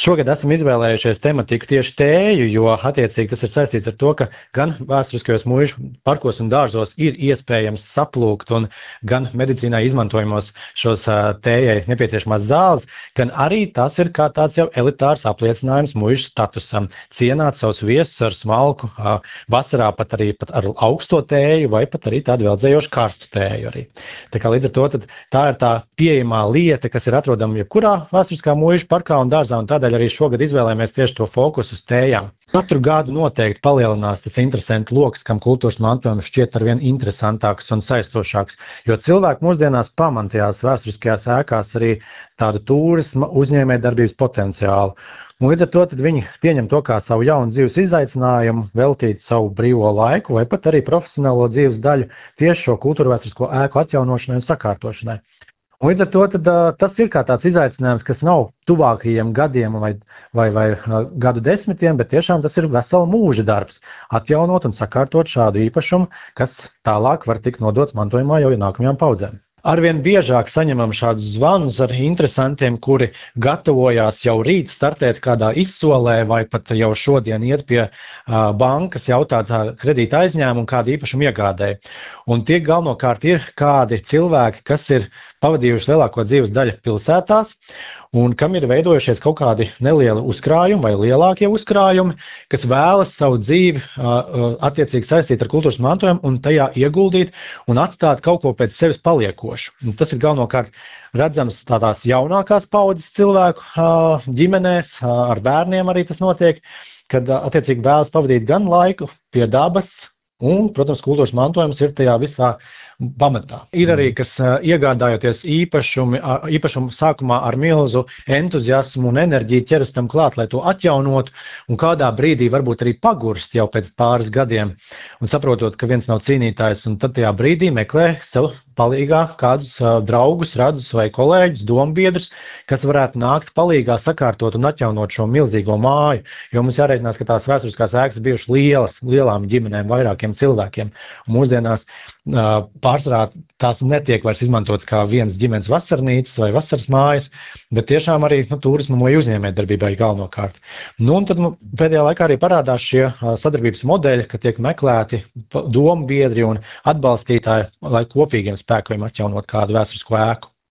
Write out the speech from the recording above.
Šogad esam izvēlējušies tematiku tieši tēju, jo attiecīgi tas ir saistīts ar to, ka gan vēsturiskajos muižu parkos un dārzos ir iespējams saplūkt un gan medicīnā izmantojamos šos tējai nepieciešamās zāles, gan arī tas ir kā tāds jau elitārs apliecinājums muižu statusam. Cienāt savus viesus ar smalku, vasarā pat ar augsto tēju vai pat arī tādu veldzējošu karstu tēju arī. Tā kā līdz ar to tā ir tā pieejamā lieta, kas ir atrodama jebkurā vēsturiskā muižu parkā un dārzā, un tādēļ arī šogad izvēlējamies tieši to fokusu uz tējām. Katru gadu noteikti palielinās tas interesantu loks, kam kultūras mantojums šķiet arvien interesantāks un saistošāks, jo cilvēki mūsdienās pamantajās vēsturiskajās ēkās arī tādu turisma uzņēmējdarbības potenciālu. Un līdz ar to viņi pieņem to kā savu jaunu dzīves izaicinājumu, veltīt savu brīvo laiku vai pat arī profesionālo dzīves daļu tieši šo kultūrvēsturisko ēku atjaunošanai un sakārtošanai. Un līdz ar to tas ir kā tāds izaicinājums, kas nav tuvākajiem gadiem vai gadu desmitiem, bet tiešām tas ir vesela mūža darbs atjaunot un sakārtot šādu īpašumu, kas tālāk var tikt nodots mantojumā jau nākamajām paudzēm. Arvien biežāk saņemam šādus zvanus ar interesantiem, kuri gatavojās jau rīt startēt kādā izsolē vai pat jau šodien iet pie bankas jautāt kredīta aizņēmumu kādu īpašumu iegādēji. Un tie galvenokārt ir kādi cilvēki, kas ir pavadījuši lielāko dzīves daļu pilsētās un kam ir veidojušies kaut kādi nelieli uzkrājumi vai lielākie uzkrājumi, kas vēlas savu dzīvi attiecīgi saistīt ar kultūras mantojumu un tajā ieguldīt un atstāt kaut ko pēc sevis paliekošu. Un tas ir galvenokārt redzams tādās jaunākās paudzes cilvēku ģimenēs, ar bērniem arī tas notiek, kad attiecīgi vēlas pavadīt gan laiku pie dabas un, protams, kultūras mantojums ir tajā visā pamatā. Ir arī, kas iegādājoties īpašumu sākumā ar milzu entuziasmu un enerģiju ķeras tam klāt, lai to atjaunot, un kādā brīdī varbūt arī pagurst jau pēc pāris gadiem, un saprotot, ka viens nav cīnītājs, un tad tajā brīdī meklē sev palīgā kādus draugus, radus vai kolēģus, dombiedrus, kas varētu nākt palīgā sakārtot un atjaunot šo milzīgo māju, jo mums jāreikinās, ka tās vēsturiskās ēkas bijušas lielām ģimenēm, vairākiem cilvēkiem, un mūsdienās pārsvarā tās netiek vairs izmantotas kā vienas ģimenes vasarnīcas vai vasaras mājas, bet tiešām arī turisma vai uzņēmējdarbībai galvenokārt. Un tad pēdējā laikā arī parādās šie sadarbības modeļi, ka tiek meklēti domu biedri un atbalstītāji, lai kopīgiem spēkiem atjaunot kādu vēsturisko ēku.